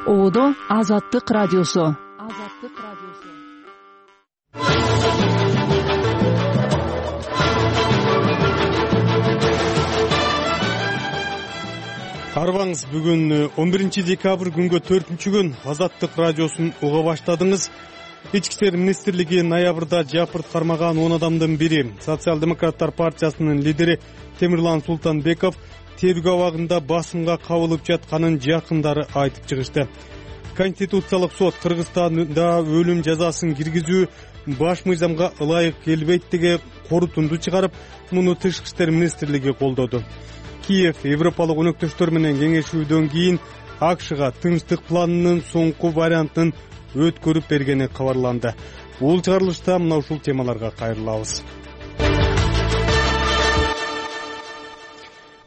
Оодо Азаттык радиосу. Арбаңыз, бүгүн 11 декабрь күнгө 4-күн Азаттык радиосун уга баштадыңыз. Ички иштер министрлиги ноябрда жапырт кармаган 10 адамдын бири, Социал-демократтар партиясынын лидери Темирлан Султанбеков тергөө абагында басымга кабылып жатканын жакындары айтып чыгышты. Конституциялык сот Кыргызстанда өлүм жазасын киргизүү баш мыйзамга ылайык келбейт деген корутунду чыгарып, муну Тышкы иштер министрлиги колдоду. Киев Европалык өнөктөштөр менен кеңешүүдөн кийин АКШга тынчтык планынын соңку вариантын өткөрүп бергени кабарланды. Бул чыгарылышта мына ушул темаларга кайрылабыз.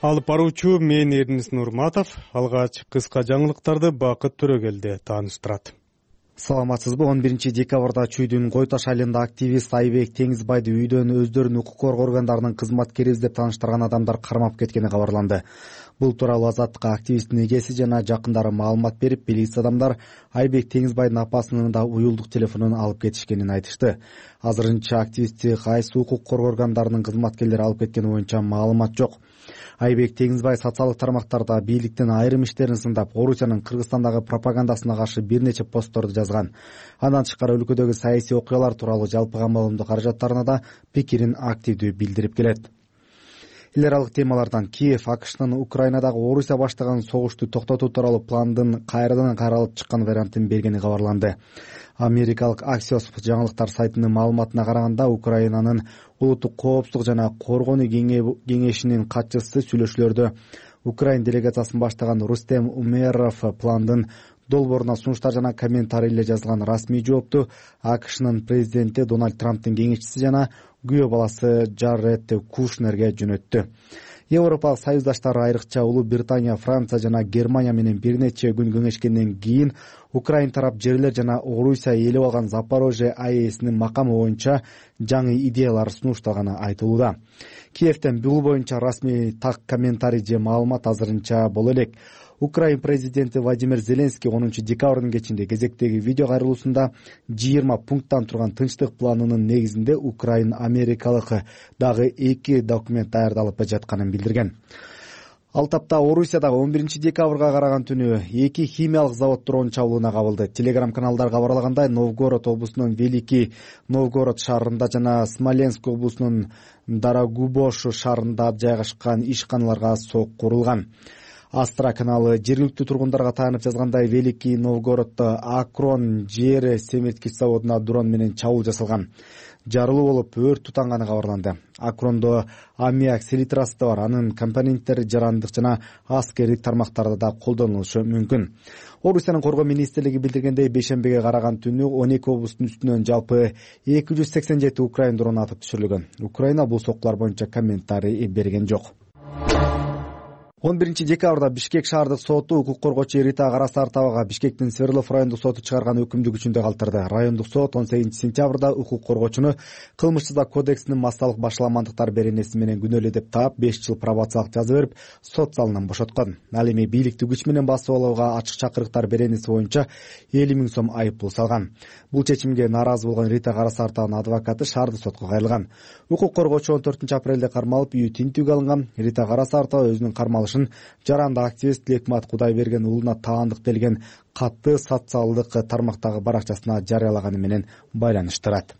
Алып баруучу мен Эрнис Нурматов. Алгач кыска жаңылыктарды Бакыт Төрөгелди тааныштырат. Саламатсызбы? 11 декабрда Чүйдүн Кой Таш айылында активист Айбек Теңизбайды үйдөн өздөрүнүн укук коргоо органдарынын кызматкери издеп тааныштырган адамдар кармап кеткени кабарланды. Бул тууралуу Азаттыкка активисттин эгеси жана жакындары маалымат берип, белгисиз адамдар Айбек Теңизбайдын апасынын да уюлдук телефонун алып кетишкенин айтышты. Азырынча активистти кайсы укук коргоо органдарынын кызматкерлери алып кеткени боюнча маалымат жок. Айбек Теңизбай социалдык тармактарда бийликтин айрым иштерин сындап, Орусиянын Кыргызстандагы пропагандасына каршы бир нече постторду жазган. Андан тышкары өлкөдөгү саясий окуялар тууралуу жалпы камалымдуу каражаттарына да пикирин активдүү билдирип келет. Эл аралык темалардан Киев АКШнын Украинадагы Орусия баштаган согушту токтотуу тууралуу пландын кайрадан каралып чыккан вариантын бергени кабарланды. Америкалык Axios жаңылыктар сайтынын маалыматына караганда, Украинанын улуттук коопсуздук жана коргонуу кеңешинин катчысы сүйлөшүүлөрдө Украин делегациясын баштаган Рустем Умеров пландын долбооруна сунуштар жана комментарийлер жазылган расмий жоопту АКШнын президенти Дональд Трамптын кеңешчиси жана күйөө баласы Джаред Кушнерге жөнөттү. Европалык союздаштар, айрыкча Улуу Британия, Франция жана Германия менен бир нече күн кеңешкенден кийин Украин тарап жерлер жана Орусия ээлеп алган Запорожье АЭСинин макамы боюнча жаңы идеялар сунуштаганы айтылууда. Киевден бул боюнча расмий так комментарий же маалымат азырынча боло элек. Украин президенти Владимир Зеленский 10 декабрдын кечинде кезектеги видео кайрылуусунда 20 пункттан турган тынчтык планынын негизинде Украин америкалык дагы 2 документ даярдалып жатканын билдирген. Ал тапта Орусиядагы 11 декабрга караган түнү 2 химиялык завод дрон чабуулуна кабылды. Телеграм каналдар кабарлагандай, Новгород облусунун Великий Новгород шаарында жана Смоленск облусунун Дорогобуж шаарында жайгашкан ишканаларга сок курулган. Астра каналы жергиликтүү тургундарга таянып жазгандай, Великий Новгороддо Акрон жер семирткич заводуна дрон менен чабуул жасалган. Жарылуу болуп, өрт тутанганы кабарланды. Акрондо аммиак селитрасы да бар. Анын компоненттери жарандык жана аскердик тармактарда да колдонулушу мүмкүн. Орусиянын коргоо министрлиги билдиргендей, бейшембиге караган түнү 12 облустун үстүнөн жалпы 287 Украин дрону атып түшүрүлгөн. Украина бул соккулар боюнча комментарий берген жок. 11 декабрда Бишкек шаардык соту укук коргоочу Рита Карасартовага Бишкектин Свердлов райондук соту чыгарган өкүмдү күчүндө калтырды. Райондук сот 18 сентябрда укук коргоочуну кылмыш жаза кодексинин массалык башаламандыктар беренеси менен күнөөлүү деп таап 5 жыл пробациялык жаза берип, сот залынан бошоткон. Ал эми бийликти күч менен басып алууга ачык чакырыктар беренеси боюнча 50 000 сом айыппул салган. Бул чечимге нааразы болгон Рита Карасартованын адвокаты шаардык сотко кайрылган. Укук коргоочу 14 апрелде кармалып, үйү тинтүүгө алынган. Рита Карасартова өзүнүн кармалышын жаранды активист Лекмат Кудайберген уулуна таандык делген катты социалдык тармактагы баракчасына жарыялаганы менен байланыштырат.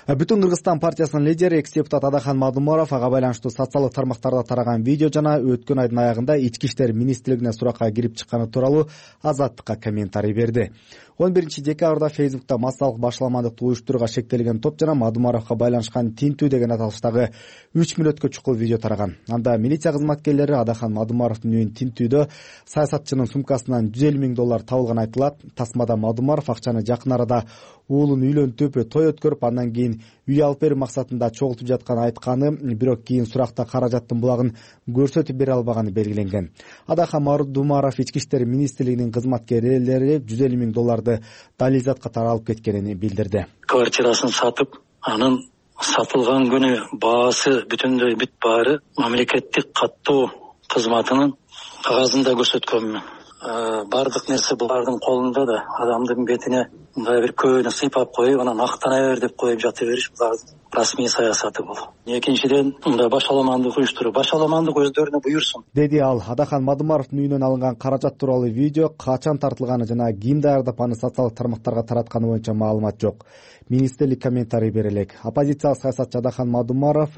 Бүтүн Кыргызстан партиясынын лидери экс-депутат Адахан Мадумаров ага байланыштуу социалдык тармактарда тараган видео жана өткөн айдын аягында ички иштер министрлигине суракка кирип чыкканы тууралуу Азаттыкка комментарий берди. 11 декабрда Фейсбукта массалык башаламандыкты уюштурууга шектелген топ жана Мадумаровго байланышкан тинтүү деген аталыштагы 3 мүнөткө чукул видео тараган. Анда милиция кызматкерлери Адахан Мадумаровдун үйүн тинтүүдө саясатчынын сумкасынан $150,000 табылган айтылат. Тасмада Мадумаров акчаны жакын арада уулун үйлөнтүп, той өткөрүп, андан кийин үй алып берүү максатында чогултуп жатканын айтканы, бирок кийин суракта каражаттын булагын көрсөтүп бере албаганы белгиленген. Адахан Мадумаров ички иштер министрлигинин кызматкерлери $150,000 дализат катары алып кеткенин билдирди. Квартирасын сатып, анын сатылган күнү баасы бүтүндөй бүт баары мамлекеттик каттоо кызматынын кагазында көрсөткөнмүн. бардык нерсе булардын колунда да. Адамдын бетине мындай бир көөнү сыйпап коюп, анан актана бер деп коюп жата бериш бул расмий саясаты бул. Экинчиден, мындай башаламандык уюштуруу, башаламандык өздөрүнө буйрсун, деди ал. Адахан Мадумаровдун үйүнөн алынган каражат тууралуу видео качан тартылганы жана ким даярдап аны социалдык тармактарга таратканы боюнча маалымат жок. Министрлик комментарий бере элек. Оппозициялык саясатчы Адахан Мадумаров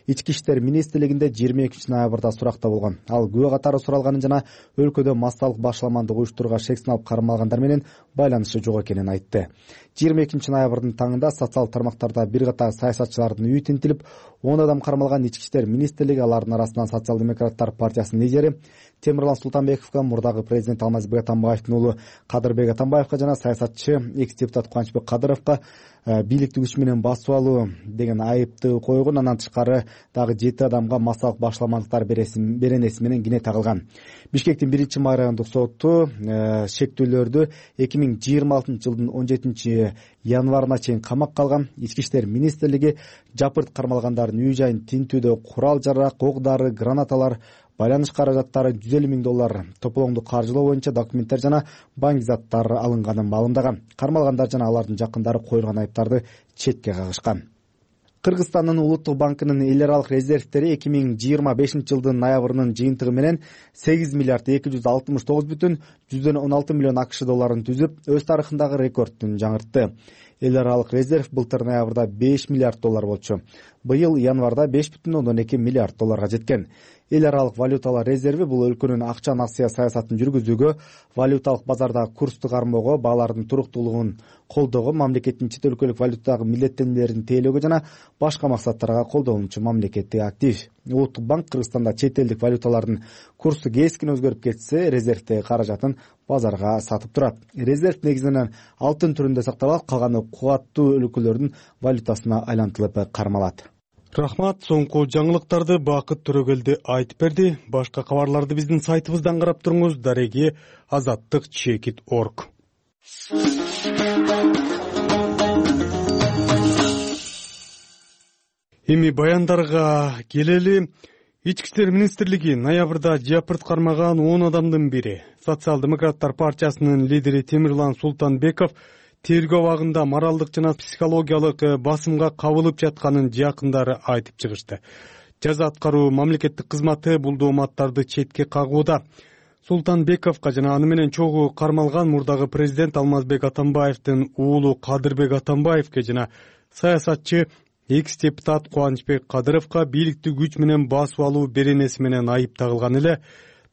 Ички иштер министрлигинде 22 ноябрда суракта болгон. Ал күбө катары суралганын жана өлкөдө массалык башаламандык уюштурууга шек сыналып кармалгандар менен байланышы жок экенин айтты. 22 ноябрдын таңында социалдык тармактарда бир катар саясатчылардын үйү тинтилип, 10 адам кармалган Ички иштер министрлиги, алардын арасынан Социал-демократтар партиясынын лидери Темирлан Султанбековго, мурдагы президент Алмазбек Атамбаевдин уулу Кадырбек Атамбаевго жана саясатчы экс-депутат Кубанычбек Кадыровго бийликти күч менен басып алуу деген айыпты койгон. Андан тышкары дагы 7 адамга массалык башаламандыктар беренеси менен кине тагылган. Бишкектин 1-май райондук соту шектүүлөрдү 2026 жылдын 17 январына чейин камакка алган. Ички иштер министрлиги жапырт кармалгандардын үй жайын тинтүүдө курал-жарак, ок-дары, гранаталар, байланыш каражаттары $150 тополоңду каржылоо боюнча документтер жана банк заттары алынганын маалымдаган. Кармалгандар жана алардын жакындары коюлган айыптарды четке кагышкан. Кыргызстандын улуттук банкынын эл аралык резервтери 2025 жылдын ноябрынын жыйынтыгы менен 8 миллиард 269,16 миллион АКШ долларын түзүп, өз тарыхындагы рекордтун жаңыртты. Эл аралык резерв былтыр ноябрда $5 миллиард болчу. Быйыл январда $5,2 миллиард жеткен. Эл аралык валюталар резерви бул өлкөнүн акча насыя саясатын жүргүзүүгө, валюталык базардагы курсту кармоого, баалардын туруктуулугун колдоого, мамлекеттин чет өлкөлүк валютадагы милдеттенмелерин тейлөөгө жана башка максаттарга колдонуучу мамлекеттик актив. Улуттук банк Кыргызстанда чет элдик валюталардын курсу кескин өзгөрүп кетсе, резервтеги каражатын базарга сатып турат. Резерв негизинен алтын түрүндө сакталат, калганы кубаттуу өлкөлөрдүн валютасына айлантылып кармалат. Рахмат. Соңку жаңылыктарды Бакыт Төрөгелди айтып берди. Башка кабарларды биздин сайтыбыздан карап туруңуз. Дареги azattik.org. Эми баяндарга келели. Ички иштер министрлиги ноябрда жапырт кармаган 10 адамдын бири, Социал-демократтар партиясынын лидери Темирлан Султанбеков тергөө абагында моралдык жана психологиялык басымга кабылып жатканын жакындары айтып чыгышты. Жаза аткаруу мамлекеттик кызматы бул дооматтарды четке кагууда. Султанбековго жана аны менен чогуу кармалган мурдагы президент Алмазбек Атамбаевдин уулу Кадырбек Атамбаевге жана саясатчы экс-депутат Кубанычбек Кадыровго бийликти күч менен басып алуу беренеси менен айып тагылган эле.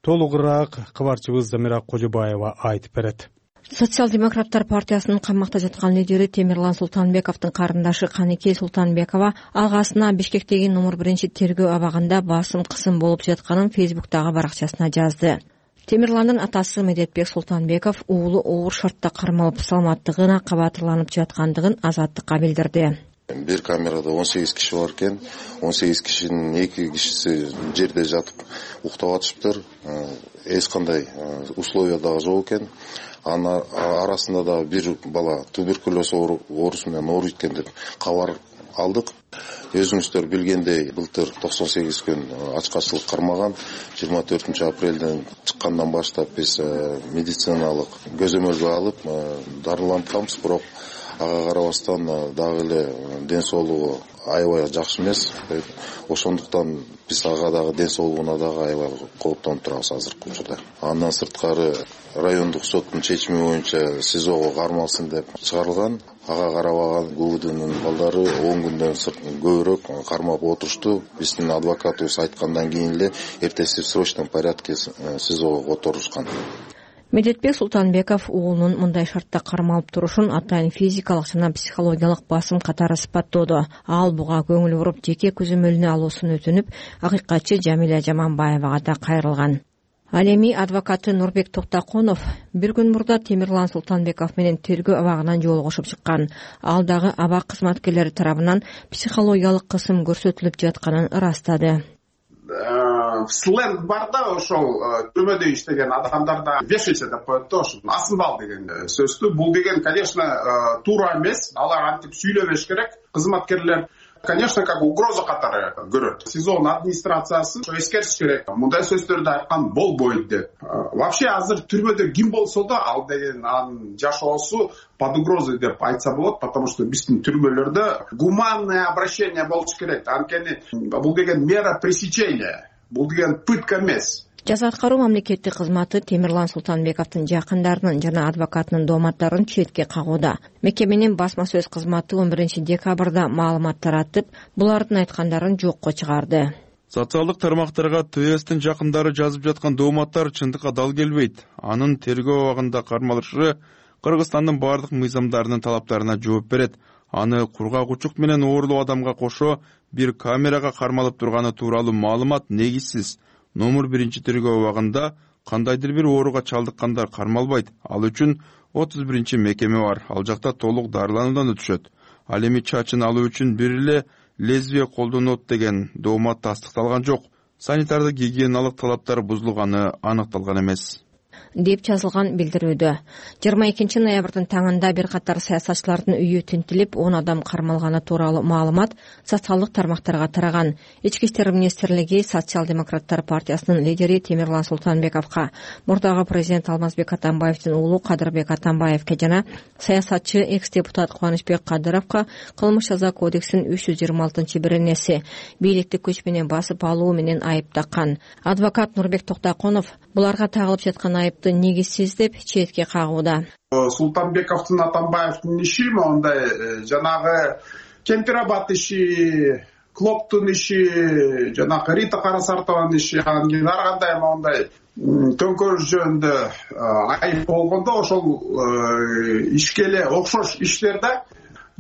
Толугураак кабарчыбыз Замира Кожобаева айтып берет. Социал-демократтар партиясынын камакта жаткан лидери Темирлан Султанбековдун карындашы Каникей Султанбекова агасына Бишкектеги номер 1 тергөө абагында басым кысым болуп жатканын Фейсбуктагы баракчасына жазды. Темирландын атасы Медетбек Султанбеков уулу оор шартта кармалып саламаттыгына кабатырланып жаткандыгын Азаттыкка билдирди. Бир камерада 18 киши бар экен. 18 кишинин 2 кишиси жерде жатып уктап атышыптыр. Эч кандай условия дагы жок экен. Анын арасында да бир бала туберкулез оорусу менен ооруйт экен деп кабар алдык. Өзүңүздөр билгендей, былтыр 98 күн ачкачылык кармаган. 24 апрелден чыккандан баштап биз медициналык көзөмөлгө алып дарылантканбыз, бирок ага карабастан дагы эле ден соолугу аябай жакшы эмес. Ошондуктан биз ага дагы ден соолугуна дагы аябай кооптонуп турабыз азыркы учурда. Андан сырткары райондук соттун чечими боюнча СИЗОго кармалсын деп чыгарылган. Ага карабаган ГУБДнын балдары 10 күндөн көбүрөөк кармап отурушту. Биздин адвокатыбыз айткандан кийин эле эртеси в срочном порядке СИЗОго которушкан. Медетбек Султанбеков уулунун мындай шартта кармалып турушун атайын физикалык жана психологиялык басым катары сыпаттоодо. Ал буга көңүл буруп жеке көзөмөлүнө алуусун өтүнүп, акыйкатчы Жамиля Жаманбаевага да кайрылган. Ал эми адвокаты Нурбек Токтоконов бир күн мурда Темирлан Султанбеков менен тергөө абагынан жолугушуп чыккан. Ал дагы абак кызматкерлери тарабынан психологиялык кысым көрсөтүлүп жатканын ырастады. Сленг бар да, ошол түрмөдө иштеген адамдарда вешайся деп коет да, ошо асынбал деген сөздү. Бул деген, конечно, туура эмес. Алар антип сүйлөбөш керек. Кызматкерлер конечно, как угроза катары көрөт. СИЗОнун администрациясы эскертиш керек. Мындай сөздөрдү айткан болбойт деп. Вообще азыр түрмөдө ким болсо да ал деген анын жашоосу под угрозой деп айтса болот, потому что биздин түрмөлөрдө гуманное обращение болуш керек. Анткени бул деген мера пресечения, бул деген пытка эмес. Жаза аткаруу мамлекеттик кызматы Темирлан Султанбековдун жакындарынын жана адвокатынын дооматтарын четке кагууда. Мекеменин басма сөз кызматы 11 декабрда маалымат таратып, булардын айткандарын жокко чыгарды. Социалдык тармактарга ТСтин жакындары жазып жаткан дооматтар чындыкка дал келбейт. Анын тергөө абагында кармалышы Кыргызстандын бардык мыйзамдарынын талаптарына жооп берет. Аны кургагучук менен оорлоо адамга кошо бир камерага кармалып турганы тууралуу маалымат негизсиз. Номер 1 тергөө абагында кандайдыр бир ооруга чалдыккандар кармалбайт. Ал үчүн 31 мекеме бар. Ал жакта толук дарылануудан өтүшөт. Ал эми чачын алуу үчүн бир эле лезвие колдонот деген доомат тастыкталган жок. Санитардык гигиеналык талаптар бузулганы аныкталган эмес деп жазылган билдирүүдө. 22 ноябрдын таңында бир катар саясатчылардын үйү тинтилип, 10 адам кармалганы тууралуу маалымат социалдык тармактарга тараган. Ички иштер министрлиги Социал-демократтар партиясынын лидери Темирлан Султанбековго, мурдагы президент Алмазбек Атамбаевдин уулу Кадырбек Атамбаевге жана саясатчы экс-депутат Кубанычбек Кадыровго кылмыш жаза кодексинин 326-беренеси бийликти күч менен басып алуу менен айып таккан. Адвокат Нурбек Токтоконов буларга тагылып жаткан айыпты негизсиз деп четке кагууда. Султанбековдун, Атамбаевдин иши мондай жанагы Кемпирабад иши, Клоктун иши, жанагы Рита Карасартованын иши, ар кандай мондай төңкөрүш жөнүндө айып болгондо ошол ишке эле окшош иштерде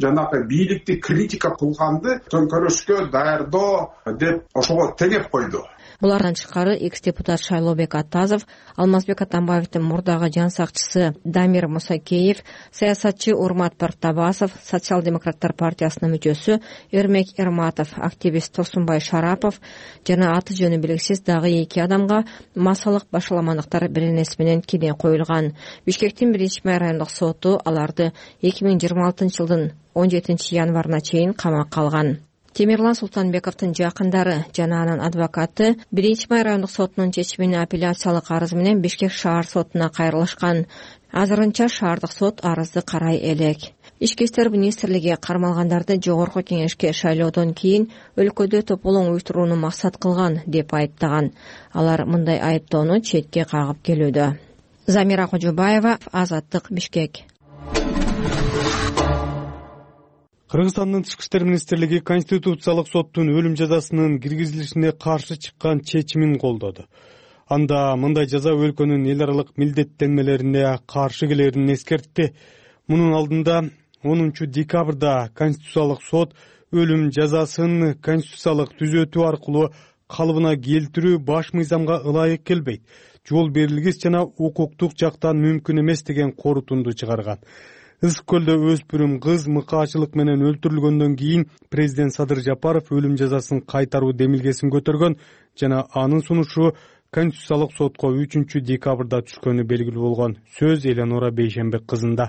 жанагы бийликти критика кылганды төңкөрүшкө даярдоо деп ошого теңеп койду. Булардан тышкары экс-депутат Шайлообек Атазов, Алмазбек Атамбаевдин мурдагы жан сакчысы Дамир Мусакеев, саясатчы Урмат Партабасов, Социал-демократтар партиясынын мүчөсү Эрмек Эрматов, активист Тосунбай Шарапов жана аты жөнү белгисиз дагы 2 адамга массалык башаламандыктар беренеси менен кене коюлган. Бишкектин 1 райондук соту аларды 2026-жылдын 17 январына чейин камакка алган. Темирлан Султанбековдун жакындары жана анын адвокаты 1 май райондук сотунун чечимине апелляциялык арыз менен Бишкек шаар сотуна кайрылышкан. Азырынча шаардык сот арызды карай элек. Ички иштер министрлиги кармалгандарды жогорку кеңешке шайлоодон кийин өлкөдө тополоң уюштурууну максат кылган деп айыптаган. Алар мындай айыптоону четке кагып келүүдө. Замира Кожобаева, Азаттык, Бишкек. Кыргызстандын Тышкы иштер министрлиги Конституциялык соттун өлүм жазасынын киргизилишине каршы чыккан чечимин колдоду. Анда мындай жаза өлкөнүн эл аралык милдеттенмелерине каршы келерин эскертти. Мунун алдында 10 декабрда Конституциялык сот өлүм жазасын конституциялык түзөтүү аркылуу калыбына келтирүү баш мыйзамга ылайык келбейт, жол берилгис жана укуктук жактан мүмкүн эмес деген корутунду чыгарган. Ысык көлдө өспүрүм кыз мыкаачылык менен өлтүрүлгөндөн кийин президент Садыр Жапаров өлүм жазасын кайтаруу демилгесин көтөргөн жана анын сунушу Конституциялык сотко 3 декабрда түшкөнү белгилүү болгон. Сөз Эленора Бейшенбек кызында.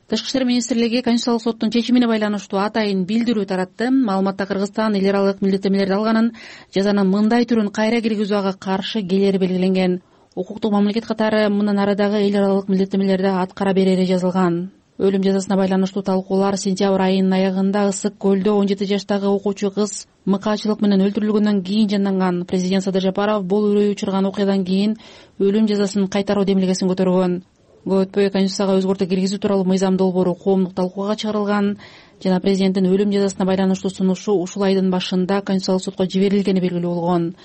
Тышкы иштер министрлиги Конституциялык соттун чечимине байланыштуу атайын билдирүү таратты. Маалыматта Кыргызстан эл аралык милдеттенмелерди алганын, жазанын мындай түрүн кайра киргизүүгө каршы келери белгиленген. Укуктук мамлекет катары мындан ары дагы эл аралык милдеттенмелерди аткара берери жазылган. Өлүм жазасына байланыштуу талкуулар сентябрь айынын аягында Ысык көлдө 17 жаштагы окуучу кыз мыкаачылык менен өлтүрүлгөндөн кийин жанданган. Президент Садыр Жапаров бул үрөй учурган окуядан кийин өлүм жазасын кайтаруу демилгесин көтөргөн. Көп өтпөй Конституцияга өзгөртүү киргизүү тууралуу мыйзам долбоору коомдук талкууга чыгарылган жана президенттин өлүм жазасына байланыштуу сунушу ушул айдын башында Конституциялык сотко жиберилгени белгилүү болгон.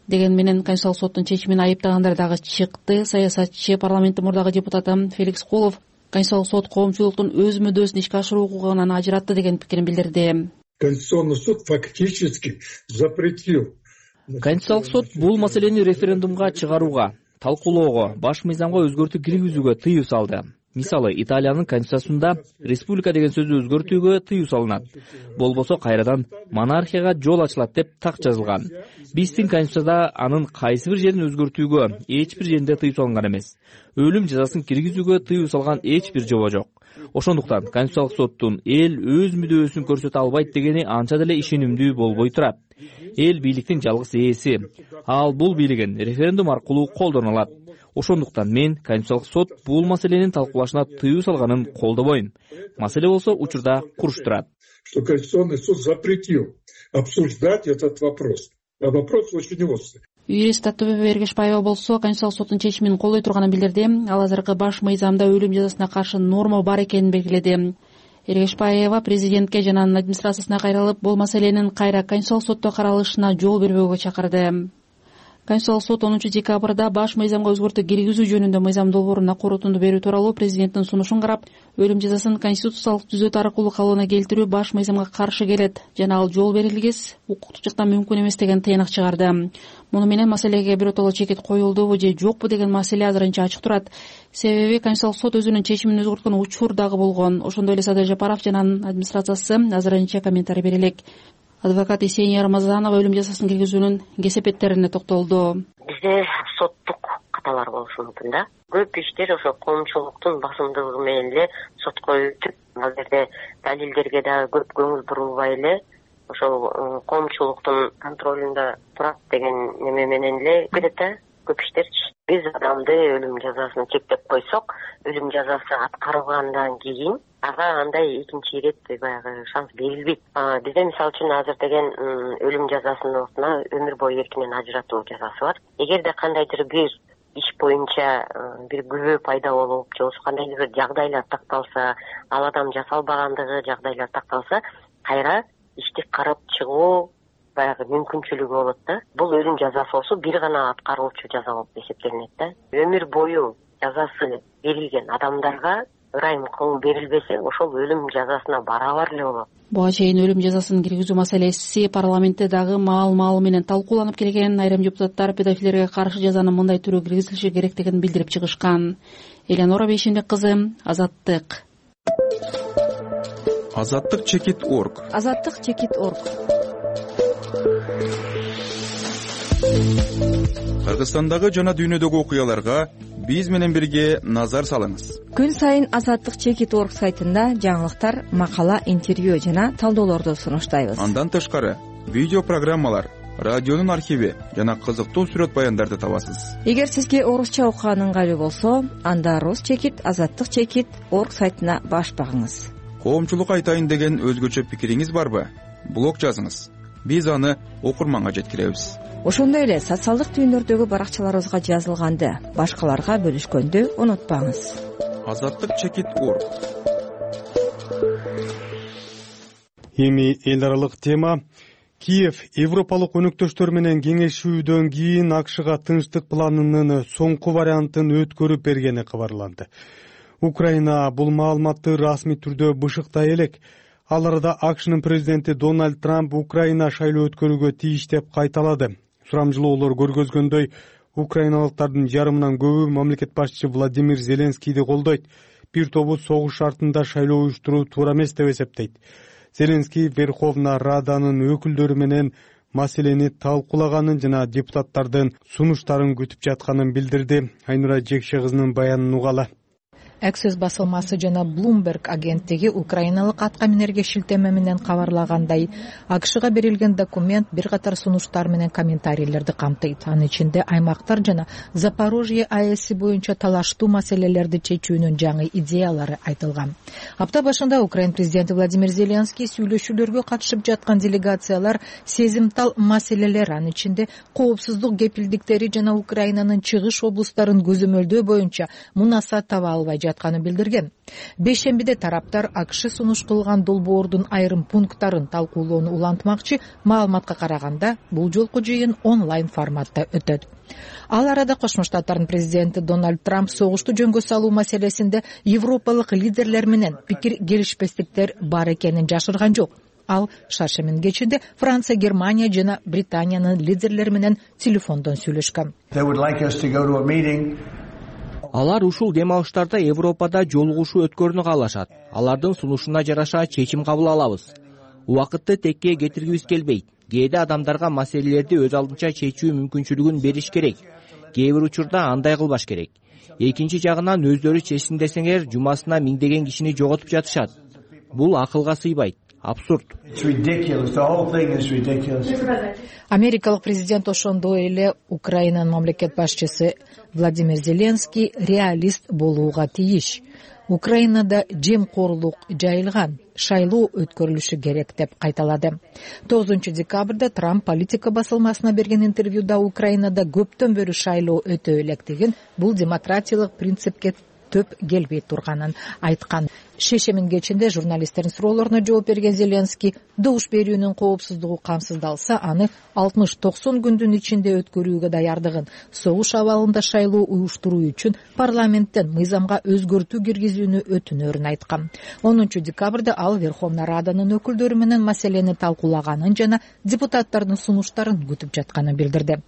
Деген менен Конституциялык соттун чечимин айыптагандар дагы чыкты. Саясатчы, парламенттин мурдагы депутаты Феликс Кулов Конституциялык сот коомчулуктун өз мүддөсүн ишке ашыруу укугунан ажыратты деген пикирин билдирди. Конституционный суд фактически запретил. Конституциялык сот бул маселени референдумга чыгарууга, талкуулоого, баш мыйзамга өзгөртүү киргизүүгө тыюу салды. мисалы Италиянын конституциясында республика деген сөздү өзгөртүүгө тыюу салынат. Болбосо кайрадан монархияга жол ачылат деп так жазылган. Биздин конституцияда анын кайсы бир жерин өзгөртүүгө эч бир жеринде тыюу салынган эмес. Өлүм жазасын киргизүүгө тыюу салган эч бир жоба жок. Ошондуктан Конституциялык соттун эл өз мүдөөсүн көрсөтө албайт дегени анча деле ишенимдүү болбой турат. Эл бийликтин жалгыз ээси. Ал бул бийлигин референдум аркылуу колдоно алат. Ошондуктан мен Конституциялык сот бул маселенин талкуулашына тыюу салганын колдобойм. Маселе болсо учурда куруш турат. Что Конституционный суд запретил обсуждать этот вопрос. А вопрос очень острый. Юрист Аттыбек Эргешбаева болсо Конституциялык соттун чечимин колдой турганын билдирди. Ал азыркы баш мыйзамда өлүм жазасына каршы норма бар экенин белгиледи. Эргешбаева президентке жана анын администрациясына кайрылып, бул маселенин кайра Конституциялык сотто каралышына жол бербөөгө чакырды. Конституциялык сот 10 декабрда баш мыйзамга өзгөртүү киргизүү жөнүндө мыйзам долбооруна корутунду берүү тууралуу президенттин сунушун карап, өлүм жазасын конституциялык түзөт аркылуу калыбына келтирүү баш мыйзамга каршы келет жана ал жол берилгес укуктук жактан мүмкүн эмес деген тыйнак чыгарды. Муну менен маселеге биротоло чекит коюлдубу же жокпу деген маселе азырынча ачык турат. Себеби Конституциялык сот өзүнүн чечимин өзгөрткөн учур дагы болгон. Ошондой эле Садыр Жапаров жана анын администрациясы азырынча комментарий бере элек. Адвокат Есения Рамазанова өлүм жазасын киргизүүнүн кесепеттерине токтолду. Бизде соттук каталар болушу мүмкүн да. Көп иштер ошо коомчулуктун басымдыгы менен эле сотко өтүп, ал жерде далилдерге дагы көп көңүл бурулбай эле ошол коомчулуктун контролунда турат деген неме менен эле кетет да көп иштерчи. Биз адамды өлүм жазасын чектеп койсок, өлүм жазасы аткарылгандан кийин ага андай экинчи ирет баягы шанс берилбейт. Бизде мисалы үчүн азыр деген өлүм жазасынын ордуна өмүр бою эркинен ажыратуу жазасы бар. Эгерде кандайдыр бир иш боюнча бир күбө пайда болуп, же болбосо кандайдыр бир жагдайлар такталса, ал адам жасалбагандыгы жагдайлар такталса, кайра ишти карап чыгуу баягы мүмкүнчүлүгү болот да. Бул өлүм жазасы болсо бир гана аткаруучу жаза болуп эсептелинет да. Өмүр бою жазасы берилген адамдарга ырайым кылуу берилбесе, ошол өлүм жазасына барабар эле болот. Буга чейин өлүм жазасын киргизүү маселеси парламентте дагы маал менен талкууланып келген. Айрым депутаттар педофилдерге каршы жазанын мындай түрү киргизилиши керектигин билдирип чыгышкан. Эленора Бейшембек кызы, Азаттык. Азаттык чекит.орг. Азаттык чекит.орг. Кыргызстандагы жана дүйнөдөгү окуяларга биз менен бирге назар салыңыз. Күн сайын Азаттык чекит.орг сайтында жаңылыктар, макала, интервью жана талдоолорду сунуштайбыз. Андан тышкары видео программалар, радионун архиви жана кызыктуу сүрөт баяндарды табасыз. Эгер сизге орусча окуган ыңгайлуу болсо, анда Рус чекит, Азаттык чекит.орг сайтына баш багыңыз. Коомчулук айтайын деген өзгөчө пикириңиз барбы? Блог жазыңыз. Биз аны окурманга жеткиребиз. Ошондой эле социалдык түйүндөрдөгү баракчаларыбызга жазылганды башкаларга бөлүшкөндү унутпаңыз. Азаттык чекит.орг. Эми эл аралык тема. Киев Европалык өнөктөштөр менен кеңешүүдөн кийин АКШга тынчтык планынын соңку вариантын өткөрүп бергени кабарланды. Украина бул маалыматты расмий түрдө бышыктай элек. Ал арада АКШнын президенти Дональд Трамп Украина шайлоо өткөрүүгө тийиш деп кайталады. Сурамжылоолор көргөзгөндөй, украиналыктардын жарымынан көбү мамлекет башчысы Владимир Зеленскийди колдойт. Бир тобу согуш шартында шайлоо уюштуруу туура эмес деп эсептейт. Зеленский Верховна Раданын өкүлдөрү менен маселени талкуулаганын жана депутаттардын сунуштарын күтүп жатканын билдирди. Айнура Жекше кызынын баянын угалы. Access басылмасы жана Bloomberg агенттиги украиналык атка минерге шилтеме менен кабарлагандай, АКШга берилген документ бир катар сунуштар менен комментарийлерди камтыйт. Анын ичинде аймактар жана Запорожье АЭСи боюнча талаштуу маселелерди чечүүнүн жаңы идеялары айтылган. Апта башында Украин президенти Владимир Зеленский сүйлөшүүлөргө катышып жаткан делегациялар сезимтал маселелер, анын ичинде коопсуздук кепилдиктери жана Украинанын чыгыш облустарын көзөмөлдөө боюнча мунасат таба албай жатканын билдирген. Бейшембиде тараптар АКШ сунуш кылган долбоордун айрым пункттарын талкуулоону улантмакчы. Маалыматка караганда, бул жолку жыйын онлайн форматта өтөт. Ал арада Кошмо Штаттардын президенти Дональд Трамп согушту жөнгө салуу маселесинде европалык лидерлер менен пикир келишпестиктер бар экенин жашырган жок. Ал шаршемин кечинде Франция, Германия жана Британиянын лидерлери менен телефондон сүйлөшкөн. Алар ушул дем алыштарда Европада жолугушуу өткөрүүнү каалашат. Алардын сунушуна жараша чечим кабыл алабыз. Убакытты текке кетиргибиз келбейт. Кээде адамдарга маселелерди өз алдынча чечүү мүмкүнчүлүгүн бериш керек. Кээ бир учурда андай кылбаш керек. Экинчи жагынан өздөрү чечсин десеңер, жумасына миңдеген кишини жоготуп жатышат. Бул акылга сыйбайт. Абсурд. Америкалык президент ошондой эле Украинанын мамлекет башчысы Владимир Зеленский реалист болууга тийиш. Украинада жемкорлук жайылган, шайлоо өткөрүлүшү керек деп кайталады. 9 декабрда Трамп Политика басылмасына берген интервьюда Украинада көптөн бери шайлоо өтө электигин, бул демократиялык принципке төп келбей турганын айткан. Шешемин кечинде журналисттердин суроолоруна жооп берген Зеленский добуш берүүнүн коопсуздугу камсыздалса, аны 60-90 күндүн ичинде өткөрүүгө даярдыгын, согуш абалында шайлоо уюштуруу үчүн парламенттен мыйзамга өзгөртүү киргизүүнү өтүнөрүн айткан. 10 декабрда ал Верховный Раданын өкүлдөрү менен маселени талкуулаганын жана депутаттардын сунуштарын күтүп жатканын билдирди.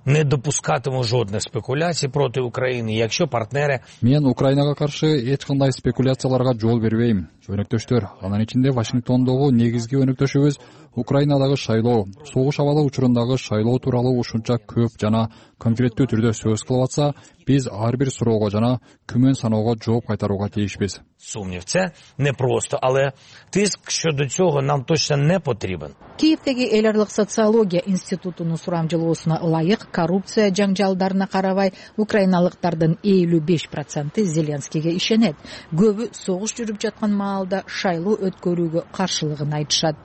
Не допускатиму жодних спекуляций проти України, якщо партнери... Мен Украинага каршы эч кандай спекуляцияларга жол бербейм. Өнөктөштөр, анын ичинде Вашингтондогу негизги өнөктөшүбүз Украинадагы шайлоо, согуш абалы учурундагы шайлоо тууралуу ушунча көп жана конкреттүү түрдө сөз кылып атса, биз ар бир суроого жана күмөн саноого жооп кайтарууга тийишпиз. Сумнів, це не просто, але тиск щодо цього нам точно не потрібен. Киевдеги эл аралык социология институтунун сурамжылоосуна ылайык, коррупция жаңжалдарына карабай, украиналыктардын 55% Зеленскийге ишенет. Көбү согуш жүрүп жаткан маалда шайлоо өткөрүүгө каршылыгын айтышат.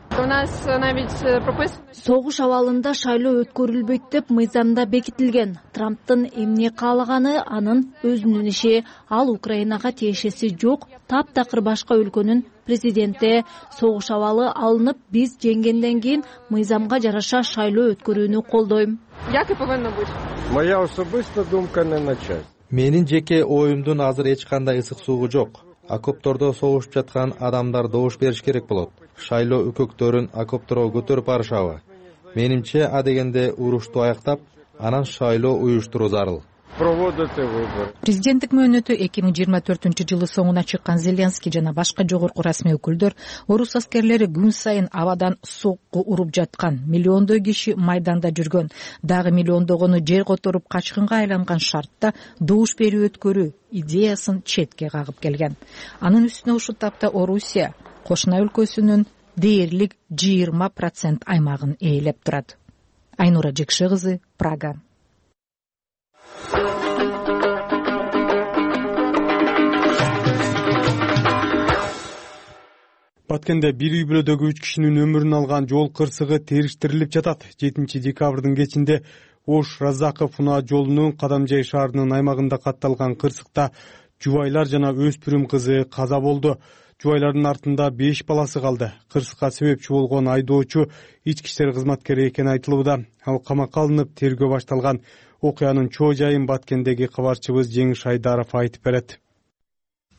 Согуш абалында шайлоо өткөрүлбөйт деп мыйзамда бекитилген. Трамптын эмне каалаганы анын өзүнүн иши. Ал Украинага тиешеси жок. Таптакыр башка өлкөнүн президенти. Согуш абалы алынып, биз жеңгенден кийин мыйзамга жараша шайлоо өткөрүүнү колдойм. Моя особиста думка не на час. Менин жеке оюмдун азыр эч кандай ысык суугу жок. Окоптордо согушуп жаткан адамдар добуш бериш керек болот. Шайлоо өкөктөрүн окопторго көтөрүп барышабы. Менимче, адегенде урушту аяктап, анан шайлоо уюштуруу зарыл. Президенттик мөөнөтү 2024-жылы соңуна чыккан Зеленский жана башка жогорку расмий өкүлдөр орус аскерлери күн сайын абадан сокку уруп жаткан, миллиондой киши майданда жүргөн, дагы миллиондогону жер которуп качкынга айланган шартта добуш берүү өткөрүү идеясын четке кагып келген. Анын үстүнө ушул тапта Орусия кошуна өлкөсүнүн дээрлик 20% аймагын ээлеп турат. Айнура Жекше кызы, Прага. Баткенде бир үй бүлөдөгү 3 кишинин өмүрүн алган жол кырсыгы териштирилип жатат. 7 декабрдын кечинде Ош Разаков унаа жолунун Кадамжай шаарынын аймагында катталган кырсыкта жубайлар жана өспүрүм кызы каза болду. Жубайлардын артында 5 баласы калды. Кырсыкка себепчи болгон айдоочу ички иштер кызматкери экени айтылууда. Ал камакка алынып, тергөө башталган. Окуянын чоо жайын Баткендеги кабарчыбыз Жеңиш Айдаров айтып берет.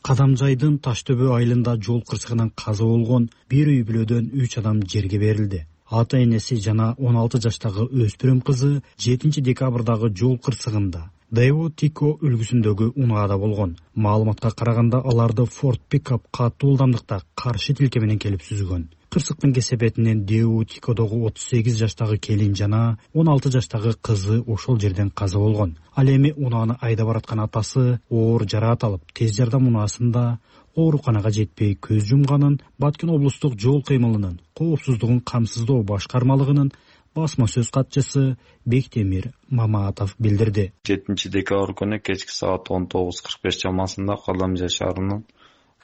Кадамжайдын Таштөбө айылында жол кырсыгынан каза болгон бир үй бүлөдөн 3 адам жерге берилди. Ата энеси жана 16 жаштагы өспүрүм кызы 7 декабрдагы жол кырсыгында Дэйво Тико үлгүсүндөгү унаада болгон. Маалыматка караганда аларды Ford пикап катуу ылдамдыкта каршы тилке менен келип сүзгөн. Кырсыктын кесепетинен Дэйво Тикодогу 38 жаштагы келин жана 16 жаштагы кызы ошол жерден каза болгон. Ал эми унааны айдап бараткан атасы оор жараат алып, тез жардам унаасында ооруканага жетпей көз жумганын Баткен облустук жол кыймылынын коопсуздугун камсыздоо башкармалыгынын басма сөз катчысы Бектемир Мамаатов билдирди. 7 декабрь күнү кечки саат 19:45 чамасында Кадамжай шаарынын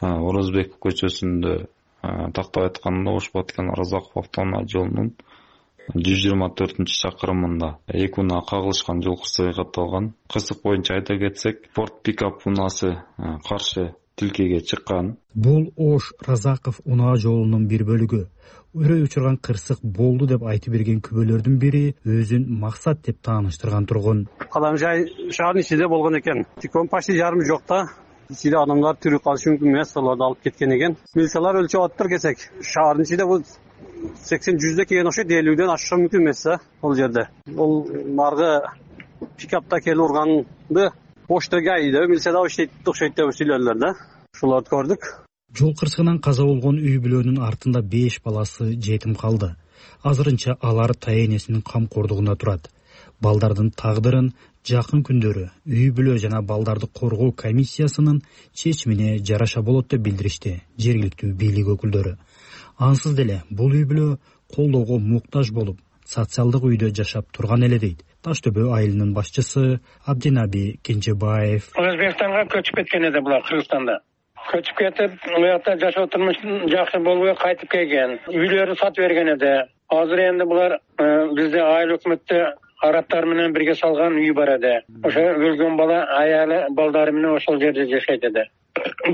Орозбек көчөсүндө тактап айтканда Ош Баткен Разаков автоунаа жолунун 124-чакырымында эки унаа кагылышкан жол кырсыгы катталган. Кырсык боюнча айта кетсек, Ford пикап унаасы каршы тилкеге чыккан. Бул Ош Разаков унаа жолунун бир бөлүгү. Өрөй учурган кырсык болду деп айтып берген күбөлөрдүн бири өзүн максат деп тааныштырган тургун. Кадамжай шаарынын ичинде болгон экен. Тикон почти жарым жокта. Ичинде адамдар тирүү калышы мүмкүн эмес, аларды алып кеткен экен. Милициялар өлчөп аттыр кесек. Шаардын ичинде бул 80-100 келген окшойт, 50ден ашышы мүмкүн эмес ал жерде. Ол маргы пикапта келип урганды Оштогайда милиция да окшойт деп сүйлөдүлөр да. Ушуларды көрдүк. Жол кырсыгынан каза болгон үй бүлөнүн артында 5 баласы жетим калды. Азырынча алар тайэнесинин камкордугунда турат. Балдардын тагдырын жакын күндөрү үй бүлө жана балдарды коргоо комиссиясынын чечимине жараша болот деп билдиришти жергиликтүү бийлик өкүлдөрү. Ансыз деле бул үй бүлө колдоого муктаж болуп, социалдык үйдө жашап турган эле дейт Таш төбө айылынын башчысы Абдинаби Кенжебаев. Өзбекстанга көчүп кеткен эди булар Кыргызстанда. Көчүп кетип, уякта жашоо турмушу жакшы болбой кайтып келген. Үйлөрү сатып берген эди. Азыр энди булар бизде айыл өкмөттө арабтар менен бирге салган үй бар эди. Ошо өлгөн бала аялы балдары менен ошол жерде жашайт эди.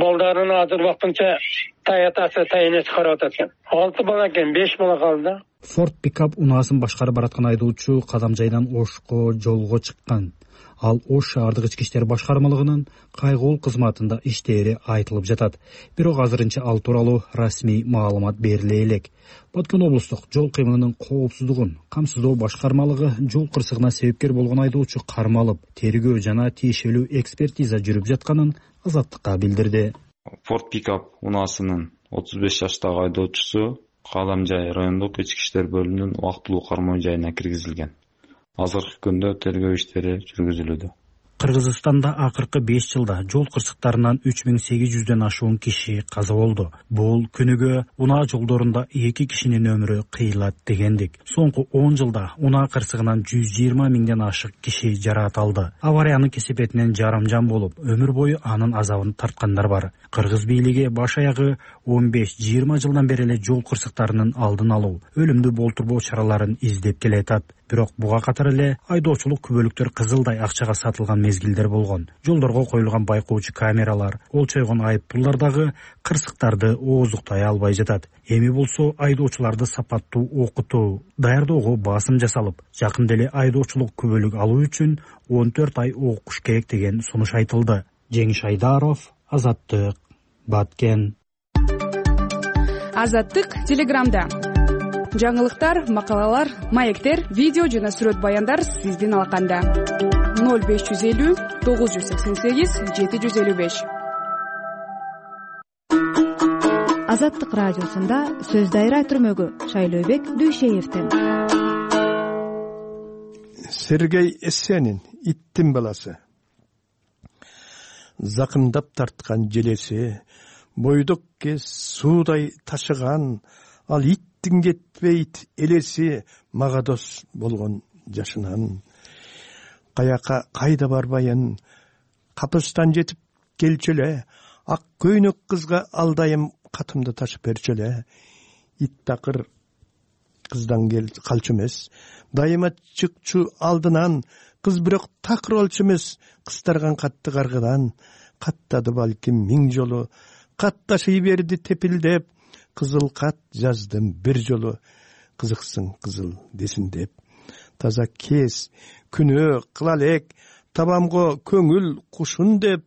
Балдарын азыр вакытынча таятасы тайэнеси карап атат экен. 6 бала экен, 5 бала калды. Форд пикап унаасын башкарып бараткан айдоочу Кадамжайдан Ошко жолго чыккан. Ал Ош шаардык ички иштер башкармалыгынын кайгуул кызматында иштери айтылып жатат. Бирок азырынча ал тууралуу расмий маалымат бериле элек. Баткен облустук жол кыймылынын коопсуздугун камсыздоо башкармалыгы жол кырсыгына себепкер болгон айдоочу кармалып, тергөө жана тиешелүү экспертиза жүрүп жатканын Азаттыкка билдирди. Форд пикап унаасынын 35 жаштагы айдоочусу Кадамжай райондук ички иштер бөлүмүнүн убактылуу кармоо жайына киргизилген. Азыркы күндө тергөө иштери жүргүзүлүүдө. Кыргызстанда акыркы 5 жылда жол кырсыктарынан 3800дөн ашуун киши каза болду. Бул күнүгө унаа жолдорунда 2 кишинин өмүрү кыйылат дегендик. Соңку 10 жылда унаа кырсыгынан 120 миңден ашык киши жараат алды. Авариянын кесепетинен жарымжан болуп, өмүр бою анын азабын тарткандар бар. Кыргыз бийлиги баш аягы 15-20 жылдан бери эле жол кырсыктарынын алдын алуу, өлүмдү болтурбоо чараларын издеп келатат. Бирок буга катар эле айдоочулук күбөлүктөр кызылдай акчага сатылган мезгилдер болгон. Жолдорго коюлган байкоочу камералар, олчойгон айыппулдар дагы кырсыктарды ооздуктай албай жатат. Эми болсо айдоочуларды сапаттуу окутуу, даярдоого басым жасалып, жакында эле айдоочулук күбөлүк алуу үчүн 14 ай окуш керек деген сунуш айтылды. Жеңиш Айдаров, Азаттык, Баткен. Азаттык Телеграмда. Жаңылыктар, макалалар, маектер, видео жана сүрөт баяндар сиздин алаканда. 0550 988 755. Азаттык радиосунда сөз дайра түрмөгү Шайлообек Дүйшеевден. Сергей Эссенин иттин баласы. Закымдап тарткан желеси, бойдок кез суудай ташыган, ал иттин кетпейт элеси мага дос болгон жашынан. Каяка кайда барбайын, капыстан жетип келчү эле, ак көйнөк кызга алдайым катымды ташып берчү эле. Ит такыр кыздан калчу эмес, дайыма чыкчу алдынан, кыз бирок такыр болчу эмес, кыстарган катты каргыдан. Каттады балким 1000 жолу, катташый берди тепилдеп, кызыл кат жаздым бир жолу, кызыксың кызыл десин деп. Таза кез, күнөө кыла элек, табамго көңүл кушун деп,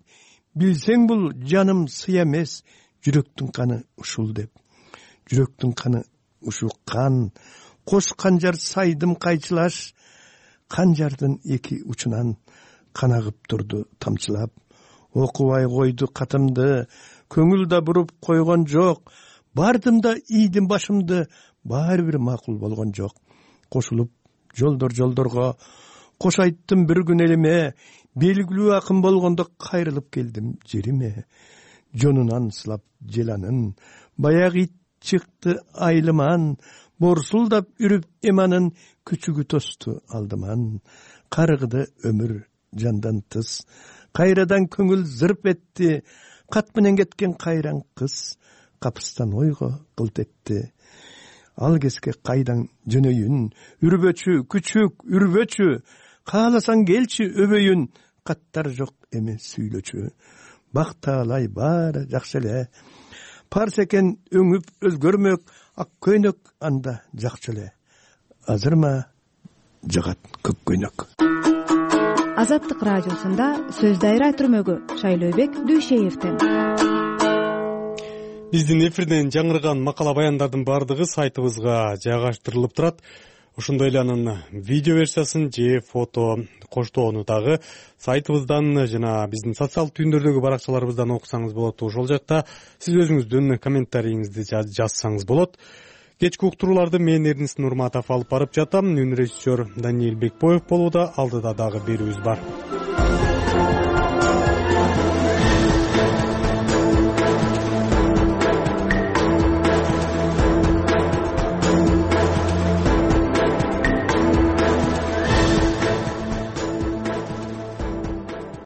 билсең бул жаным сый эмес, жүрөктүн каны ушул деп. Жүрөктүн каны ушу кан, кош канжар сайдым кайчылаш, канжардын эки учунан кан агып турду тамчылап. Окубай койду катымды, көңүл да буруп койгон жок, бардым да ийдим башымды, баары бир макул болгон жок. Кошулуп жолдорго, кош айттым бир күн элиме, белгилүү акын болгондо кайрылып келдим жериме. Жонунан сылап желанын, баягы ит чыкты айлыман, борсулдап үрүп эманын, күчүгү тосту алдыман. Карыгды өмүр жандан тыс, кайрадан көңүл зырп этти, кат менен кеткен кайраң кыз, капыстан ойго кылт этти. Ал кезге кайдан жөнөйүн, үрбөчү, күчүк, үрбөчү, кааласаң келчи өбөйүн, каттар жок эми сүйлөчү. Бактаалай баары жакшы эле, парс экен өңүп өзгөрмөк, ак көйнөк анда жакчы эле. Азырма жагат көк көйнөк. Азаттык радиосунда сөз дайра түрмөгү Шайлообек Дүйшеевден. Биздин эфирден жаңырган макала баяндардын бардыгы сайтыбызга жайгаштырылып турат. ошондой эле анын видео версиясын же фото коштоону дагы сайтыбыздан жана биздин социалдык түйүндөрдөгү баракчаларыбыздан окусаңыз болот. Ошол жакта сиз өзүңүздүн комментарийиңизди жазсаңыз болот. Кечки уктурууларды мен Эрнис Нурматов алып барып жатам. Үн режиссер Даниил Бекбоев болууда. Алдыда дагы берүүбүз бар.